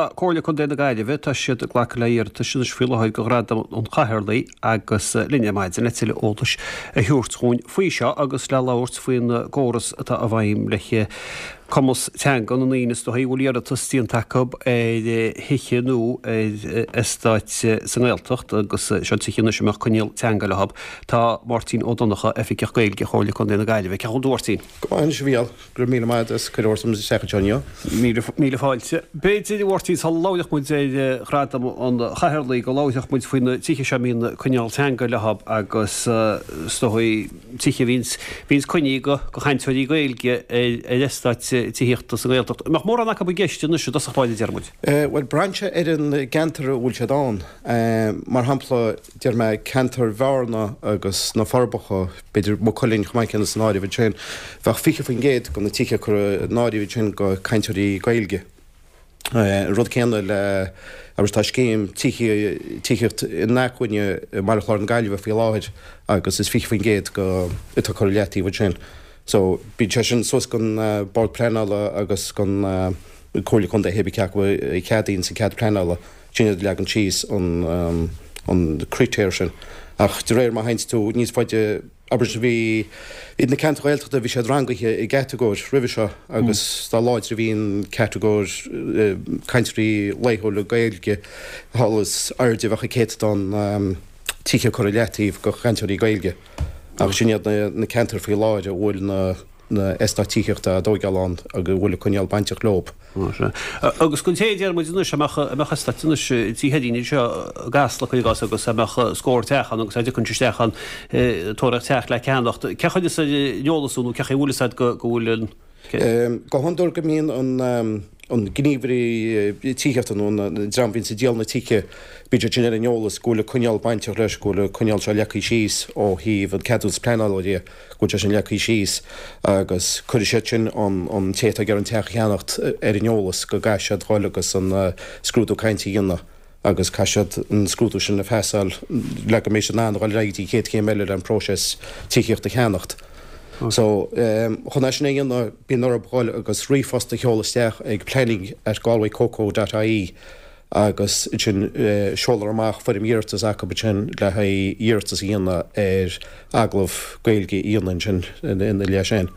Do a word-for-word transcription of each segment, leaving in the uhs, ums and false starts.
Comhairle Contae na Gaillimhe, tá siad ag glacadh le hiarratais anois faoi láthair do Ghradam an Chathaoirligh agus linn ar maidin le tuilleadh eolais a thabhairt dhúinn faoi seo agus le labhairt faoin gcóras atá i bhfeidhm le cumas teanga na ndaoine is dóichí a bhfuil iarratas déanta acu ar thithe nó ar eastáit sa nGaeltacht agus seo tithe anois a mbeadh coinníoll teanga leo. Tá Máirtín Ó Donnchadha, Oifigeach Gaeilge Chomhairle Contae na Gaillimhe. Cén chaoi a bhfuil tú, a Mháirtín? Go maith anois, a Mhícheáil. Go raibh míle maith agat as cuireadh a thabhairt isteach anseo inniu. Míle, míle fáilte. B'fhéidir, a Mháirtín, sula labhródh muid ar Ghradam an Chathaoirligh, go labhródh muid faoi na tithe seo a mbíonn coinníoll teanga leo agus is dóigh tithe a bhíonns, bhíonns coinnithe do, do chainteoirí Gaeilge ar, ar eastáit tithíochta sa nGaeltacht. An mbeadh mórán acu i gceist anois i dtosach báire, deir muid? Bhuel, braitheann sé ar an gceantar a bhfuil siad ann. Mar shampla, deir mé ceantar Bhearna agus na Forbacha, b'fhéidir Maigh Cuilinn chomh maith céanna san áireamh ansin, bheadh fiche faoin gcéad de na tithe curtha in áirithe ansin do chainteoirí Gaeilge. An rud céanna le, agus tá scéim tithíocht inacmhainne i mBaile Chláir na Gaillimhe faoi láthair agus is fiche faoin gcéad de atá curtha i leataobh ansin. So bíonn sé sin suas don Bord Pleanála agus don Comhairle Contae pé cé acu a cheadaíonn an cead pleanála, sin iad a leagann síos an an critéar sin. Ach de réir mar a théanns tú níos faide, abair bhí iad na ceantair Ghaeltachta bhí siad rangaithe i gcatagóir roimhe seo agus dá láidre a bhí an catagóir cainteoirí laethúla Gaeilge thall is airde a bheadh an céatadán tithe curtha i leataobh do chainteoirí Gaeilge. Ach sin iad na ceantair faoi láthair a bhfuil na na eastáit tithíochta á dtóigeáil ann agus a bhfuil an coinníoll bainteach leo. Agus don té a deir muid anois a mbeadh a mbeadh eastát anois Tí Sheirín anseo i gCasla, cuir i gcás, agus a mbeadh scór teach ann agus a dtiocfainn isteach ann ag tóraíocht teach le ceannacht, cén chaoi a bhfuil fhios ar an eolas nó cén chaoi a bhfuil fhios agat go go bhfuil an. Go hiondúil go mbíonn an an gníomhaire tithíochta nó an dream a bhíonns ag díol na tithe, bíonn siad sin ar an eolas go bhfuil an coinníoll bainteach leis, go bhfuil an coinníoll seo leagtha síos ó thaobh an ceadúnas pleanála de, go bhfuil sé sin leagtha síos agus cuirfidh siad sin an an té atá ag iarraidh an teach a cheannacht ar an eolas go gcaithfidh siad dhul agus an scrúdú cainte a dhéanamh agus caithfidh siad an scrúdú sin a phasáil le go mbeidh siad in ann a dhul ar aghaidh go dtí an chéad chéim eile le an próiseas tithíocht a cheannacht. So, chun é sin a dhéanamh bíonn orthu dhul agus ríomhphost a sheoladh isteach ag planning at galwaycoco dot ie agus ansin seolfar amach foirm iarratais acu ansin le haghaidh iarratas a dhéanamh ar agallamh Gaeilge a dhéanamh ansin ina leith sin.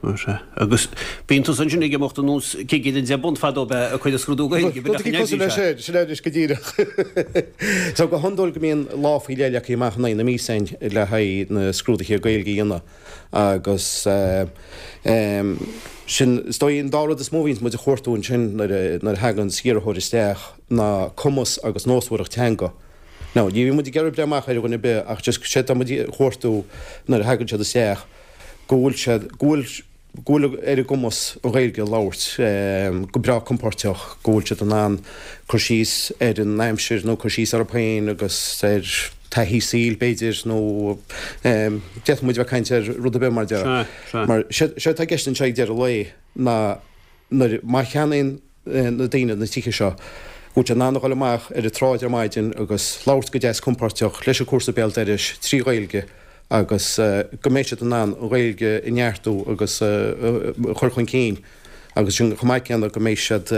Sea. Agus bíonn tusa ansin ag imeacht ar nós cigire an deich bpunt fadó ab ea ag cur an scrúdú Gaeilge, b'in é an oibrí sea. Sin é anois go díreach. So go hiondúil go mbíonn lá faoi leith leagtha amach in aghaidh na míosa againn le haghaidh na scrúduithe Gaeilge a dhéanamh agus sin is dóigh an dá rud is mó a bhíonns muid a chuartú ansin nuair a thaganns iarrthóir isteach ná cumas agus nósmhaireacht teanga. Now ní bhíonn muid ag iarraidh breith amach ar dhuine ar bith ach just sé atá muid a chuartú nuair a thagann siad isteach go bhfuil siad, go bhfuil, go bhfuil ar a gcumas an Ghaeilge a labhairt go breá compóirteach, go bhfuil siad in ann cur síos ar an aimsir nó cur síos orthu féin agus ar taithí saoil b'fhéidir nó d'fhéadfadh muid a bheith ag caint ar rud ar bith mar a déarfá. Mar sé atá i gceist anseo ag deireadh lae ná nuair, má cheannaíonn na daoine na tithe seo, go bhfuil siad in ann a dhul amach ar an tsráid ar maidin agus labhairt go deas compóirteach leis an chúrsa béal dorais trí Ghaeilge agus go mbeidh siad in ann an Ghaeilge a neartú agus a chur chun cinn agus sin chomh maith céanna go mbeidh siad,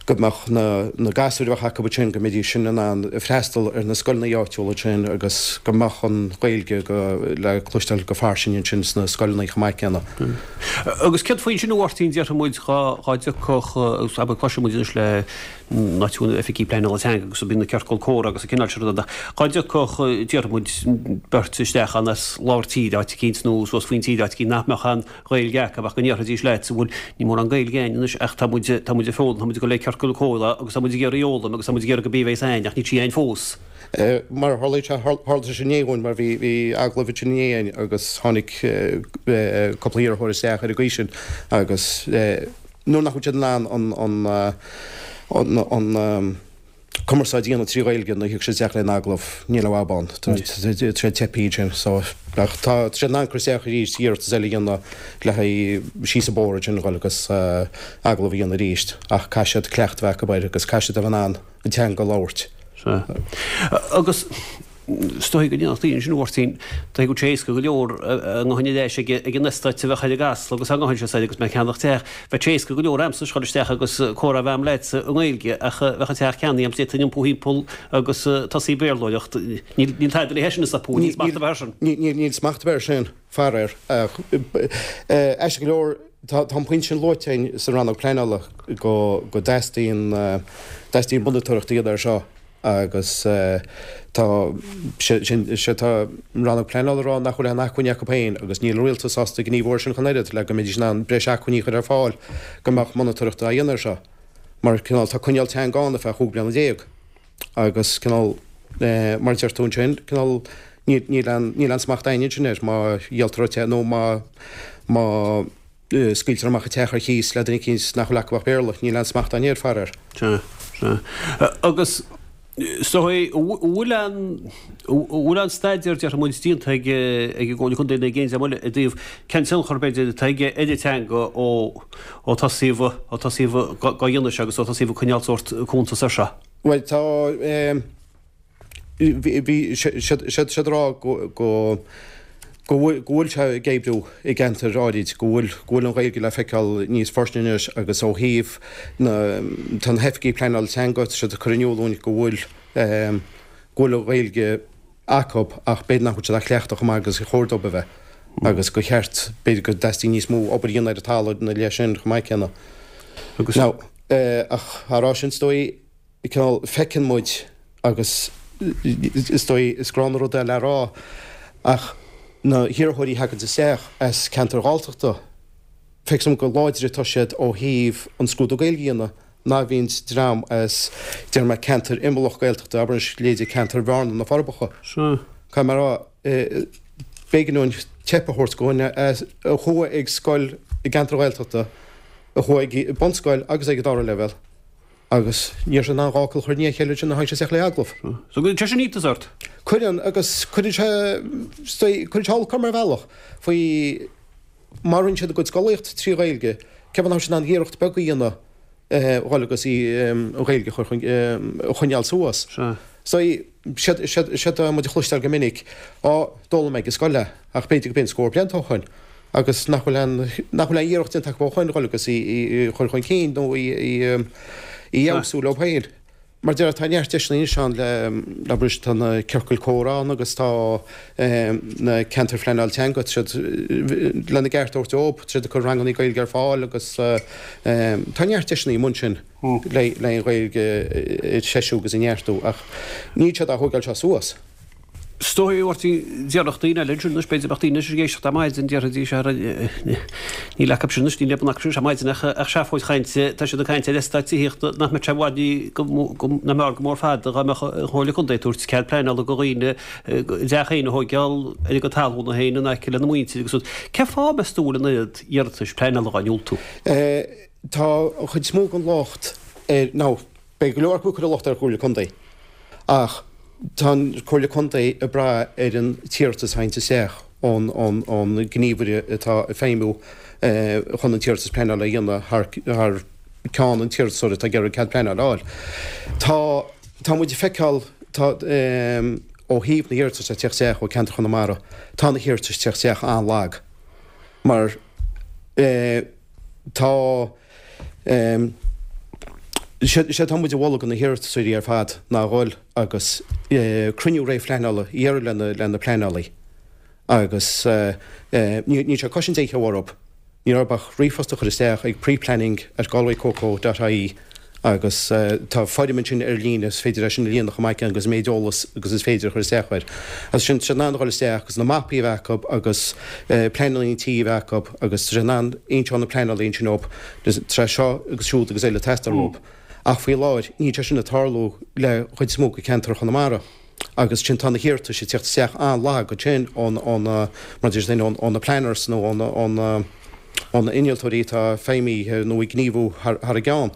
go mbeadh na gasúir a bheadh acu ansin, go mbeidís sin in ann freastal ar na scoileanna áitiúla ansin agus go mbeadh an Ghaeilge le cloisteáil go fairsing ansin sna scoileanna chomh maith céanna. Agus céard faoi sin a Mháirtín, déarfaidh muid dhá dtiocfadh, abair cloiseann muid anois le náisiúin oifigí pleanála teanga agus bíonn na ciorcail comhrá agus an cineál sin ruda. Dhá dtiocfadh, déarfaidh muid, beirt isteach ann as lár tíre áit eicínt nó suas faoin tír áit eicínt nach mbeadh aon Ghaeilge acu ach go ndéarfaidís leat, bhuel, níl mórán Gaeilge againn anois ach tá muid, tá muid ag foghlaim, tá muid ag dul le ciorcal comhrá agus tá muid ag iarraidh fhoghlaim agus tá muid ag iarraidh go bí a bheas againn ach níl sí againn fós. Mar a tharlaíonn sé, tharla sé sin inné dhúinn mar bhí, bhí agallamh ansin inné againn agus tháinig cúpla iarrthóir isteach ar an gcaoi sin agus, nuair nach bhfuil siad in ann an an cumarsáid a dhéanamh trí Ghaeilge nuair a thiocfaidh siad isteach le agallamh, níl aon fhadhb ann. Tá siad teipthe ansin. So, ach tá siad in ann cur isteach arís, iarratas eile a dhéanamh le haghaidh síos an bóthar ansin a dhul agus agallamh a dhéanamh arís. Ach caithfidh siad cleachtadh a bheith acu air agus caithfidh siad a bheith in ann an teanga a labhairt. Sea. Agus. Is dóigh go ndéanfadh daoine sin, a Mháirtín, dóigh go bhfuil sé éasca go leor a nguth a leis ag an eastát a bheadh ar an gCasla agus á nguth sé agus mé ag ceannach teach, bheadh sé éasca go leor a'msa dhul isteach agus comhrá a bheith a'm leatsa i nGaeilge ach bheadh an teach ceannaithe a'm d'fhéadfainn iompú thimpeall agus tosaí ag Béarlóireacht. Níl tada le sin a stopadh, níl smacht ar bith air sin. Níl smacht ar bith air sin, faraor. Aisteach go leor, tá an pointe sin luaite againn sa rannóg pleanála go dteastaíonn dteastaíonn monatóireacht a dhéanamh air seo agus tá sé tá an rannóg pleanála ag rá nach bhfuil aon acmhainní acu féin agus níl an rialtas sásta gníomhú air sin ach an oiread le go mbeidís in ann breis acmhainní a chur ar fáil go mbeadh monatóireacht á dhéanamh air seo mar cineál tá coinníoll teanga ann ar feadh chúig bliana déag agus cineál mar a deir tú ansin cineál níl aon níl aon smacht againne ansin air má dhíoltar an teach nó má má scaoiltear amach an teach ar chíos le duine eicínt nach bhfuil acu ach Béarla, níl aon smacht againne air, faraor. Sea, sea. Agus is dóigh, an bhfuil aon, an bhfuil aon staidéar, déarfaidh muid, déanta ag ag an gComhairle Contae nó ag aon dream eile i dtaobh cén tionchar, b'fhéidir, atá aige ar an teanga ó ó tosaíodh, ó tosaíodh á dhéanamh seo agus ó tosaíodh ag coinneáil sórt cuntas air seo? Bhuel, tá, bhí siad ag rá go go go bhfuil sé ag oibriú i gceantair áirid, go bhfuil go bhfuil an Ghaeilge le feiceáil níos forte anois agus ó thaobh na tá na hoifigigh pleanála teanga, tá siad ag cur in iúl dúinn go bhfuil go bhfuil an Ghaeilge acu ach b'fhéidir nach bhfuil siad á cleachtadh chomh maith agus a chóir dóibh a bheith agus gur cheart b'fhéidir go dteastaíonn níos mó obair a dhéanamh ar an talamh ina leith sin chomh maith céanna. Agus. Now, ach á rá sin is dóigh cineál feiceann muid agus is dóigh is gránna rud é le rá ach na hiarrthóirí a thagann isteach as ceantair Ghalltachta, feictear dom gur láidre atá siad ó thaobh an scrúdú Gaeilge a dhéanamh ná a bhíonns dream as, déarfaidh mé, ceantar imeallach Gaeltachta, abair anois, leithéidí ceantar Bhearna, na Forbacha. Caithfidh mé a rá, b'éigean dúinn teip a thabhairt do dhuine a chuaigh ag scoil i gceantar Ghaeltachta, a chuaigh ag bunscoil agus ag an dara leibhéal. Agus ní raibh sé in ann dhá fhocal a chur i ndiaidh a chéile ansin nuair a tháinig sé isteach le agallamh. So cuireann sé sin iontas ort? Cuireann, agus cuireann sé, cuireann sé olc orm ar bhealach faoi má rinne siad a gcuid scolaíocht trí Ghaeilge, cén fáth nach raibh siad in ann iarracht beag a dhéanamh dhul agus í, an Ghaeilge a chur chun, a choinneáil suas. Sea. So, séard, séard, séard atá muid a chloisteáil go minic, á, d'fhoghlaim mé ag an scoil é, ach b'fhéidir go b'in scór blianta ó shoin. agus nach bhfuil aon nach bhfuil aon iarracht déanta acu ó shoin dhul agus í a chur chun cinn nó í a fheabhsú leo féin. Mar a déarfá, tá neart deiseanna anois ann le abair tá na ciorcail comhrá ann agus tá na ceantair phleanáil teanga, tá siad lena gceart a thabhairt dóibh, tá siad ag cur ranganna Gaeilge ar fáil agus tá neart deiseanna amuigh ansin le an Ghaeilge a threisiú agus a neartú ach níl siad á thógáil seo suas. Is dóigh, a Mháirtín, déarfadh daoine eile ansin anois, b'fhéidir, bheadh daoine anois ag éisteacht ar maidin, déarfaidís, ara, níl acu sin anois, níl aon acu sin ar maidin ach ach seafóid chainte, tá siad ag caint ar eastát tithíochta nach mbeadh sé i bhfad ní, go, go, nach mb'fhearr go mór fada dá mbeadh an Chomhairle Contae ag tabhairt cead pleanála do dhaoine a dteach féin a thóigeáil ar a gcuid talúna féin in aice lena muintir agus rud. Cén fáth, meas tú, a bhfuil an oiread iarratais pleanála á ndiúltú? Tá an chuid is mó den locht ar, nó beidh go leor acu ag cur an locht ar an Chomhairle Contae ach, Tá an Chomhairle Contae ag brath ar an t-iarratas a thagann isteach ón ngníomhaire atá ag feidhmiú chun an t-iarratas pleanála a dhéanamh thar ceann an t-iarratasóra atá ag iarraidh cead pleanála a fháil. Tá tá muid ag feiceáil tá ó thaobh na hiarratais ag teacht isteach ó cheantar Chonamara, tá na hiarratais ag teacht isteach an-lag mar tá Séard atá muid a mholadh do na hiarratasóirí ar fad ná a dhul agus cruinniú réamhphleanála a iarraidh lena pleanálaí agus níl sé ag cosaint aon cheo orthu, níl orthu ach ríomhphost a chur isteach ag preplanning at galwaycoco dot ie agus tá foirm ansin ar líne is féidir é sin a líonadh chomh maith céanna agus an méid eolas agus is féidir a chur isteach air. As sin tá siad in ann a dhul isteach agus na mapaí a bheith acu agus pleananna tí a bheith acu agus tá siad in ann inseoidh na pleanálaí ansin dóibh tá seo agus siúd agus eile ag teastáil uathu. Ach faoi láthair níl sé sin ag tarlú le chuid is mó de cheantar Chonamara agus sin tá na hiarratais ag teacht isteach an-lag ansin ó na mar a deir ó na planners nó ó na ó na innealtóirí atá feidhmithe nó ag gníomhú thar a gceann.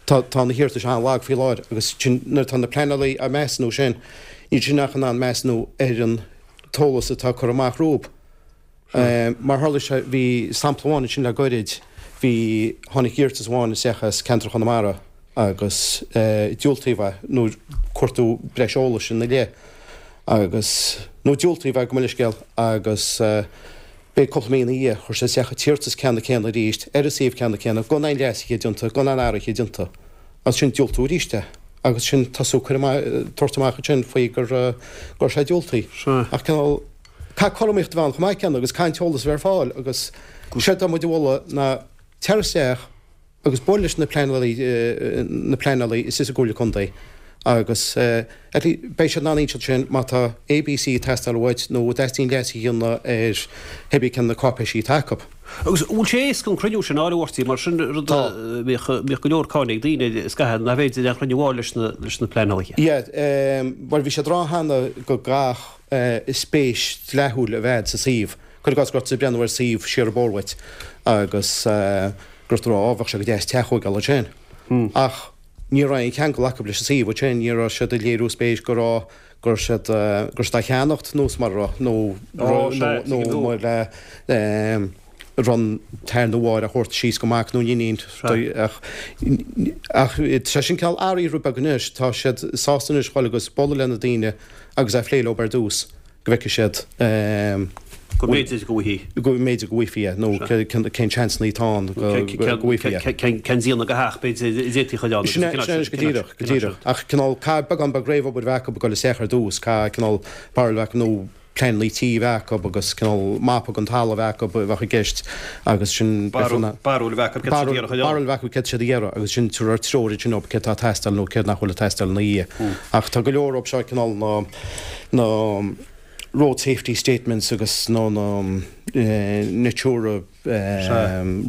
Tá tá na hiarratais an-lag faoi láthair agus sin nuair atá na pleanálaí ag measúnú sin, níl siad ach in ann measúnú ar an t-eolas atá curtha amach rompu. Mar tharla sé, bhí sampla amháin ansin le goirid, bhí, tháinig iarratas amháin isteach as ceantar Chonamara agus diúltaíodh é nuair cuartú breis eolais ina leith agus nó diúltaíodh gabh mo leithscéal agus b'fhéidir cúpla mí ina dhiaidh chuir sé isteach an t-iarratas ceanna céanna arís ar an suíomh ceanna céanna gan aon leasuithe déanta gan aon athruithe déanta agus sin diúltú arís é agus sin tosú cur amach tabhairt amach ansin faoi gur go raibh sé diúltaithe. Ach cineál caithfidh cothromaíocht a bheith ann chomh maith céanna agus caithfidh an t-eolas a bheith ar fáil agus séard atá muid a mholadh ná tar isteach agus buail leis na pleanálaí na pleanálaí istigh sa gComhairle Contae agus at least beidh siad in ann inseacht sin má tá A, B, C ag teastáil uait nó a dteastaíonn leas a dhéanamh ar pé ar bith cén na cáipéisí atá acu. Agus bhfuil sé éasca an cruinniú sin a fháil a Mháirtín mar sin rud a bhíodh bhíodh go leor cáineadh ag daoine is caithfidh nach féidir aon chruinniú a fháil leis na leis na pleanálaithe. Yeah, bhuel bhí sé ag rá cheana go gcaithfidh spéis dleathúil a bheith sa suíomh. Cuir i gcás go raibh tú ag breathnú ar suíomh siar an bóthar uait agus go raibh tú ag rá á bheadh sé go deas teach a thógáil ansin. Ach ní raibh aon cheangal acu leis an suíomh ansin, ní raibh siad ag léiriú spéis go raibh go raibh siad go raibh siad á cheannacht nó mar a raibh nó nó nó mar le raibh an t-athair nó mháthair á thabhairt síos go mac nó iníon ach ach tá sé sin cineál athraithe rud beag anois, tá siad sásta anois dhul agus bualadh le na daoine agus a phlé leo ar dtús go bhfeicfidh siad Go mb'fhéidir go bhfaighfí. Go mb'fhéidir go bhfaighfí é nó cén seansanna atá ann go bhfaighfí é. Cén déanamh de theach b'fhéidir a d'fhéadfaí a chur ann. Sin é, sin é, go díreach, go díreach. Ach cineál caithfidh beagán beag réamhobair a bheith acu ag dul isteach ar dtús, caithfidh cineál barúil a bheith acu nó pleananna tí a bheith acu agus cineál mapa den talamh a bheith acu a bheadh i gceist agus sin Barúil a bheith acu céard siad a iarraidh a chur ann. Barúil a bheith acu céard siad a iarraidh agus sin tabharfar treoir ansin dóibh céard atá ag teastáil nó céard nach bhfuil ag teastáil ina dhiaidh. Ach tá go leor dóibh seo cineál na na road safety statements agus nó na Natura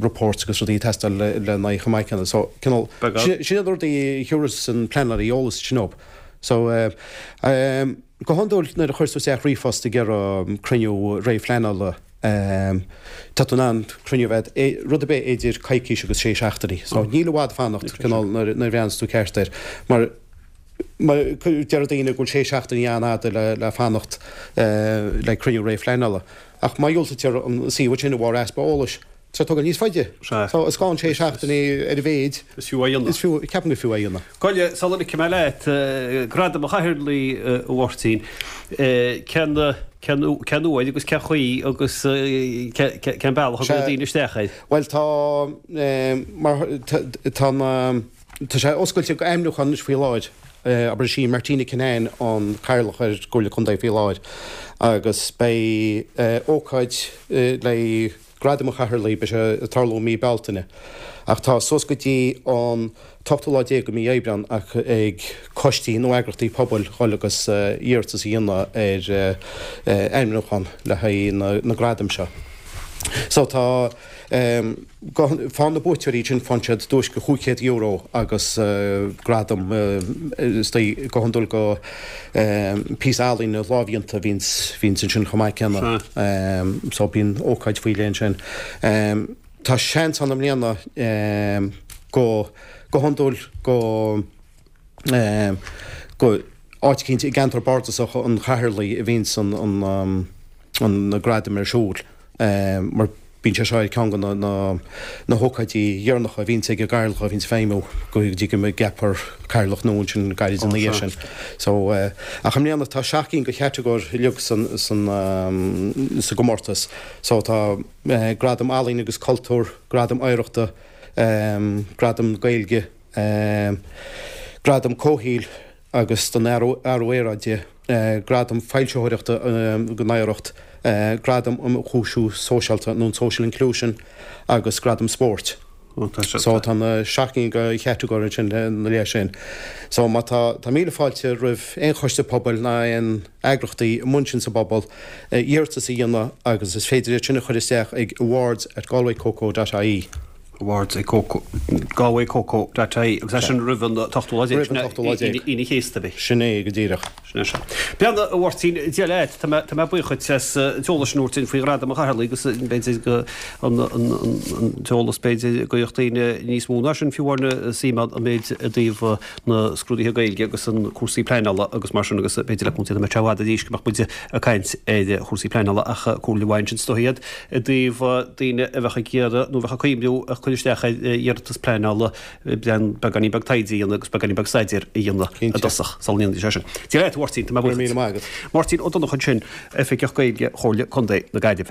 reports agus rudaí ag teastáil le lena aghaidh chomh maith céanna. So cineál sin iad na rudaí a thiúrfas an pleanálaí eolas sin dóibh. So go hiondúil nuair a chuireas tú isteach ríomhphost ag iarraidh cruinniú réamhphleanála tá tú in ann cruinniú a bheith rud ar bith idir coicís agus sé seachtainí. So níl i bhfad fanacht cineál nuair a bhreathnaíonns tú ceart air mar Deir daoine go bhfuil sé seachtainí an-fhada le fanacht le cruinniú réamhphleanála. Ach má dhiúltaítear an suíomh sin de bharr easpa eolais, tá sé ag tógáil níos faide. So is gá an sé seachtainí ar a mhéid. Is fiú é a dhéanamh. Is fiú, ceapaim gur fiú é a dhéanamh. Gabh i leith, sula ligfidh mé leat, Gradam an Chathaoirligh, a Mháirtín, cén, cén, cén uair agus cén chaoi agus cén bealach a gcuirfidh daoine isteach air? Bhuel tá, mar, tá na. Tá sé oscailte go ainmniúchán anois faoi láthair. Abair is í Martina Kinane an Cathaoirleach ar an gComhairle Contae faoi láthair agus beidh ócáid le Gradam an Chathaoirligh, beidh sé ag tarlú i mí Bealtaine. Ach tá suas go dtí an t-ochtú lá déag de mhí Aibreán ach ag coistí nó eagraíochtaí pobail dhul agus iarratas a dhéanamh ar ainmniúchán le haghaidh na gradaim seo. So tá. Faigheann na buaiteoirí sin, faigheann siad duais de chúig chéad euro agus gradam is dóigh go hiondúil go píosa ealaíne lámhdhéanta a bhíonns ansin chomh maith céanna. So bíonn ócáid faoi leith ansin. Tá seans ann i mbliana go go hiondúil go go áit eicínt i gceantar bardasach an Chathaoirligh a bhíonns an na gradaim ar siúl mar Bíonn sé seo ar cheann de na hócáidí dheireanacha a bhíonns ag an gcathaoirleach a bhíonns ag feidhmiú go dtí go gceapfar cathaoirleach nua ansin gairid ina dhiaidh sin. So, ach i mbliana tá seacht gcinn de chatagóir uilig san san sa gcomórtas. So tá Gradam Ealaíon agus Cultúir, Gradam Oidhreachta, Gradam Gaeilge, Gradam Comhshaoil agus don Athrú Aeráide, Gradam Foilsitheoireachta don Oidhreacht, Gradam um Chuimsiú Sóisialta nó an Social Inclusion agus Gradam Spóirt. So tá na seacht gcinn de chatagóirí ansin ina leith sin. So má tá, tá míle fáilte roimh aon choiste pobail ná aon eagraíochtaí amuigh ansin sa bpobal iarratas a dhéanamh agus is féidir iad sin a chur isteach ag awards at galwaycoco dot ie. awards ag galwaycoco dot ie agus é sin roimh an t-ochtú lá déag, sin Aoine an Chéasta a bhí. Sin é go díreach. Sin é seo. Beanna, a Mháirtín, Dia leat, tá mé, tá mé buíoch duit as an t-eolas sin a thabhairt dúinn faoi Ghradam an Chathaoirligh agus b'fhéidir go an t-eolas b'fhéidir go mbeadh daoine níos mó ná sin fiú amháin suim ann an méid i dtaobh na scrúduithe Gaeilge agus an cúrsaí pleanála agus mar sin agus b'fhéidir le cúntaí nach mbeadh sé i bhfad arís go mbeadh muid ag caint ar chúrsaí pleanála ach comhairle mhaith ansin is dóigh iad i dtaobh daoine a bheadh ag iarraidh nó a bheadh ag cuimhniú a chur cur isteach ar iarratas pleanála beagáinín beag taighde a dhéanamh agus beagáinín beag staidéir a dhéanamh i dtosach sula ndéanfaidís é sin. Dia leat, a Mháirtín, tá mé buíoch. Máirtín Ó Donnchadha ansin, Oifigeach Gaeilge Chomhairle Contae na Gaillimhe.